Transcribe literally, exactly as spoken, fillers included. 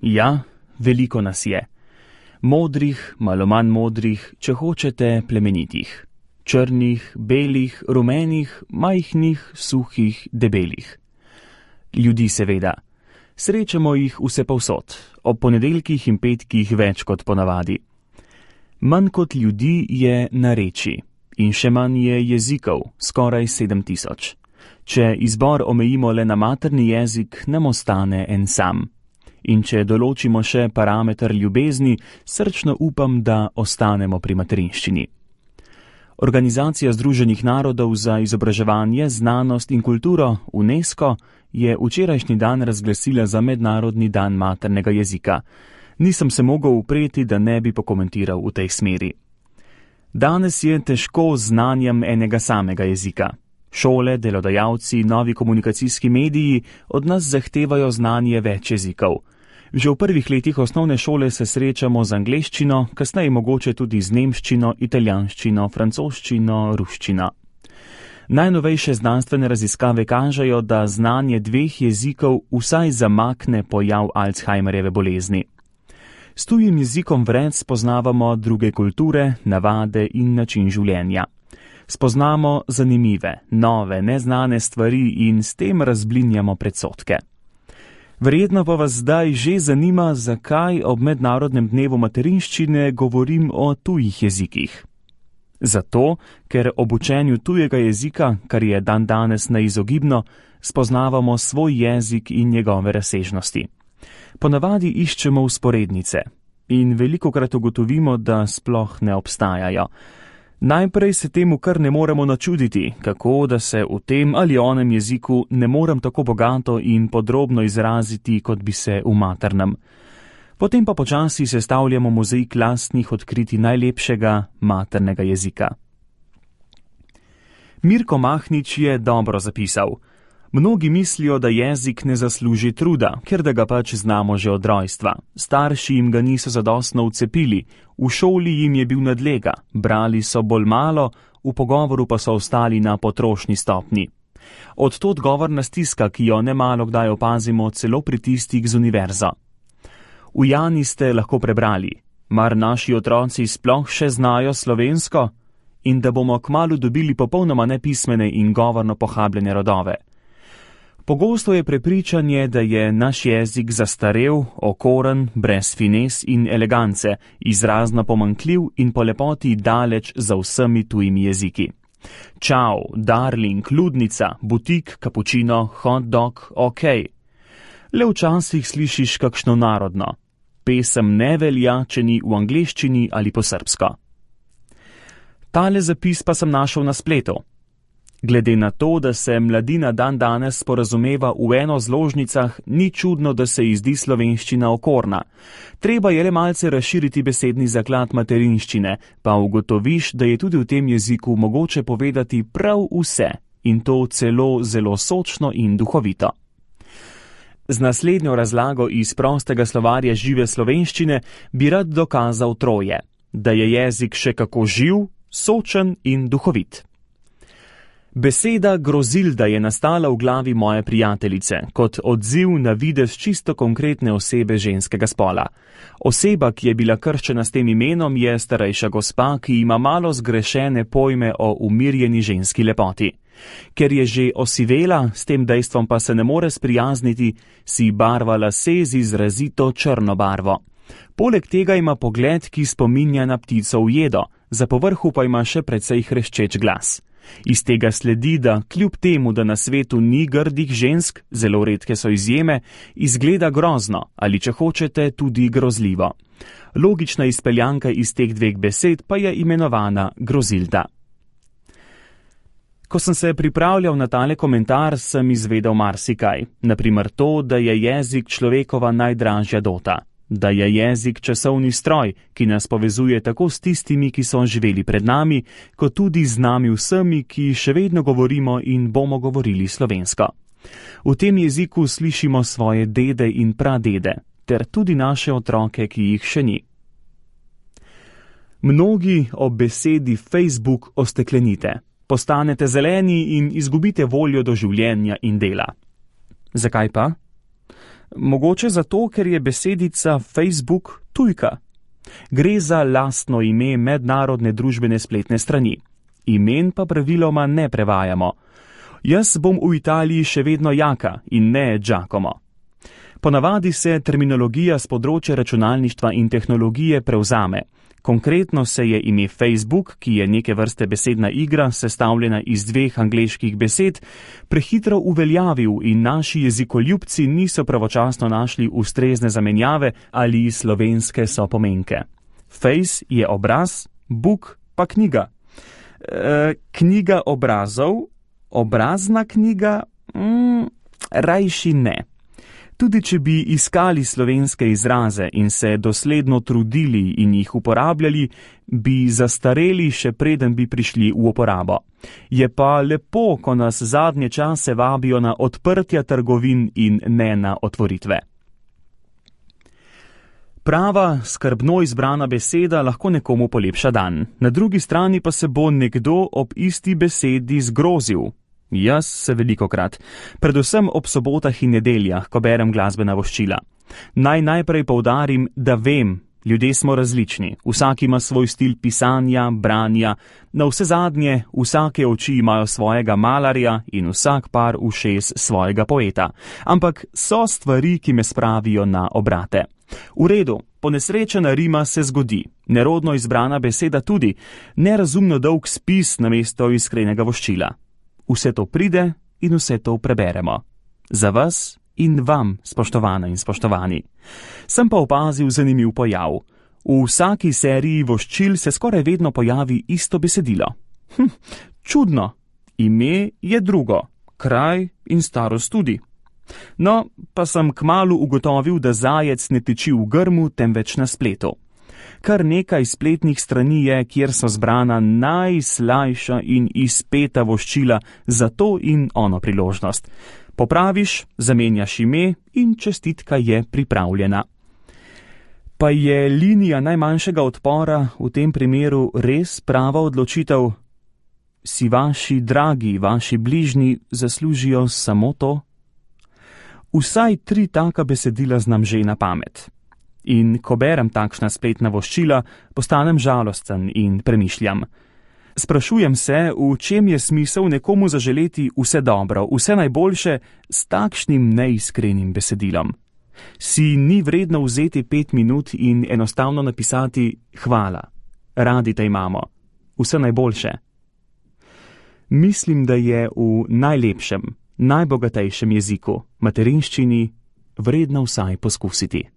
Ja, veliko nas je. Modrih, malo manj modrih, če hočete plemenitih. Črnih, belih, rumenih, majhnih, suhih, debelih. Ljudi seveda. Srečamo jih vse povsod, ob ponedeljkih in petkih več kot ponavadi. Manj kot ljudi je narečij in še manj je jezikov, skoraj sedem tisoč. Če izbor omejimo le na materni jezik, nam ostane en sam. In če določimo še parameter ljubezni, srčno upam, da ostanemo pri materinščini. Organizacija Združenih narodov za izobraževanje, znanost in kulturo, UNESCO, je včerajšnji dan razglasila za mednarodni dan maternega jezika. Nisem se mogel upreti, da ne bi pokomentiral v tej smeri. Danes je težko z znanjem enega samega jezika. Šole, delodajalci, novi komunikacijski mediji od nas zahtevajo znanje več jezikov. Že v prvih letih osnovne šole se srečamo z angleščino, kasneje mogoče tudi z nemščino, italijanščino, francoščino, ruščino. Najnovejše znanstvene raziskave kažejo, da znanje dveh jezikov vsaj zamakne pojav Alzheimerjeve bolezni. S tujim jezikom vred spoznavamo druge kulture, navade in način življenja. Spoznamo zanimive, nove, neznane stvari in s tem razblinjamo predsodke. Verjetno pa vas zdaj že zanima, zakaj ob mednarodnem dnevu materinščine govorim o tujih jezikih. Zato, ker ob učenju tujega jezika, kar je dandanes neizogibno, spoznavamo svoj jezik in njegove razsežnosti. Ponavadi iščemo vzporednice in velikokrat ugotovimo, da sploh ne obstajajo. Najprej se temu kar ne moremo načuditi, kako da se v tem ali onem jeziku ne morem tako bogato in podrobno izraziti, kot bi se v maternem. Potem pa počasi sestavljamo mozaik lastnih odkritij najlepšega maternega jezika. Mirko Mahnič je dobro zapisal. Mnogi mislijo, da jezik ne zasluži truda, ker da ga pač znamo že od rojstva. Starši jim ga niso zadostno vcepili, v šoli jim je bil nadlega, brali so bolj malo, v pogovoru pa so ostali na potrošni stopni. Od tod govorna stiska, ki jo nemalo kdaj opazimo celo pri tistih z univerzo. V Jani ste lahko prebrali, mar naši otroci sploh še znajo slovensko? In da bomo kmalu dobili popolnoma nepismene in govorno pohabljene rodove. Pogosto je prepričanje, da je naš jezik zastarel, okoren, brez finez in elegance, izrazno pomanjkljiv in po lepoti daleč za vsemi tujimi jeziki. Čau, darling, ludnica, butik, kapučino, hot dog, ok. Le včasih slišiš kakšno narodno. Pesem ne velja, če ni v angleščini ali po srbsko. Tale zapis pa sem našel na spletu. Glede na to, da se mladina dan danes sporazumeva v eno zložnicah, ni čudno, da se ji zdi slovenščina okorna. Treba je le malce razširiti besedni zaklad materinščine, pa ugotoviš, da je tudi v tem jeziku mogoče povedati prav vse in to celo zelo sočno in duhovito. Z naslednjo razlago iz prostega slovarja žive slovenščine bi rad dokazal troje, da je jezik še kako živ, sočen in duhovit. Beseda grozilda je nastala v glavi moje prijateljice, kot odziv na videz čisto konkretne osebe ženskega spola. Oseba, ki je bila krščena s tem imenom, je starejša gospa, ki ima malo zgrešene pojme o umirjeni ženski lepoti. Ker je že osivela, s tem dejstvom pa se ne more sprijazniti, si barva lase z izrazito črno barvo. Poleg tega ima pogled, ki spominja na ptico ujedo, za povrhu pa ima še precej hreščeč glas. Iz tega sledi, da kljub temu, da na svetu ni grdih žensk, zelo redke so izjeme, izgleda grozno ali, če hočete, tudi grozljivo. Logična izpeljanka iz teh dveh besed pa je imenovana grozilda. Ko sem se pripravljal na tale komentar, sem izvedel marsikaj. Naprimer to, da je jezik človekova najdražja dota. Da je jezik časovni stroj, ki nas povezuje tako s tistimi, ki so živeli pred nami, kot tudi z nami vsemi, ki še vedno govorimo in bomo govorili slovensko. V tem jeziku slišimo svoje dede in pradede, ter tudi naše otroke, ki jih še ni. Mnogi ob besedi Facebook osteklenite, postanete zeleni in izgubite voljo do življenja in dela. Zakaj pa? Mogoče zato, ker je besedica Facebook tujka. Gre za lastno ime mednarodne družbene spletne strani. Imen pa praviloma ne prevajamo. Jaz bom v Italiji še vedno Jaka in ne Giacomo. Ponavadi se terminologija z področja računalništva in tehnologije prevzame. Konkretno se je ime Facebook, ki je neke vrste besedna igra, sestavljena iz dveh angleških besed, prehitro uveljavil in naši jezikoljubci niso pravočasno našli ustrezne zamenjave ali slovenske sopomenke. Face je obraz, book pa knjiga. E, knjiga obrazov, obrazna knjiga, mm, rajši ne. Tudi če bi iskali slovenske izraze in se dosledno trudili in jih uporabljali, bi zastareli še preden bi prišli v uporabo. Je pa lepo, ko nas zadnje čase vabijo na odprtja trgovin in ne na otvoritve. Prava, skrbno izbrana beseda lahko nekomu polepša dan. Na drugi strani pa se bo nekdo ob isti besedi zgrozil. Jaz se velikokrat, predvsem ob sobotah in nedeljah, ko berem glasbena voščila. Naj najprej poudarim, da vem, ljudje smo različni, vsak ima svoj stil pisanja, branja, na vse zadnje vsake oči imajo svojega malarja in vsak par ušes svojega poeta. Ampak so stvari, ki me spravijo na obrate. V redu, ponesrečena rima se zgodi, nerodno izbrana beseda tudi, nerazumno dolg spis namesto iskrenega voščila. Vse to pride in vse to preberemo. Za vas in vam, spoštovane in spoštovani. Sem pa opazil zanimiv pojav. V vsaki seriji voščil se skoraj vedno pojavi isto besedilo. Hm, čudno. Ime je drugo, kraj in starost tudi. No, pa sem kmalu ugotovil, da zajec ne tiči v grmu, temveč na spletu. Kar nekaj spletnih strani je, kjer so zbrana najslajša in izpeta voščila za to in ono priložnost. Popraviš, zamenjaš ime in čestitka je pripravljena. Pa je linija najmanjšega odpora v tem primeru res prava odločitev? Si vaši dragi, vaši bližnji zaslužijo samo to? Vsaj tri taka besedila znam že na pamet. In ko berem takšna spletna voščila, postanem žalosten in premišljam. Sprašujem se, v čem je smisel nekomu zaželeti vse dobro, vse najboljše s takšnim neiskrenim besedilom. Si ni vredno vzeti pet minut in enostavno napisati hvala, radi te imamo, vse najboljše. Mislim, da je v najlepšem, najbogatejšem jeziku, materinščini, vredno vsaj poskusiti.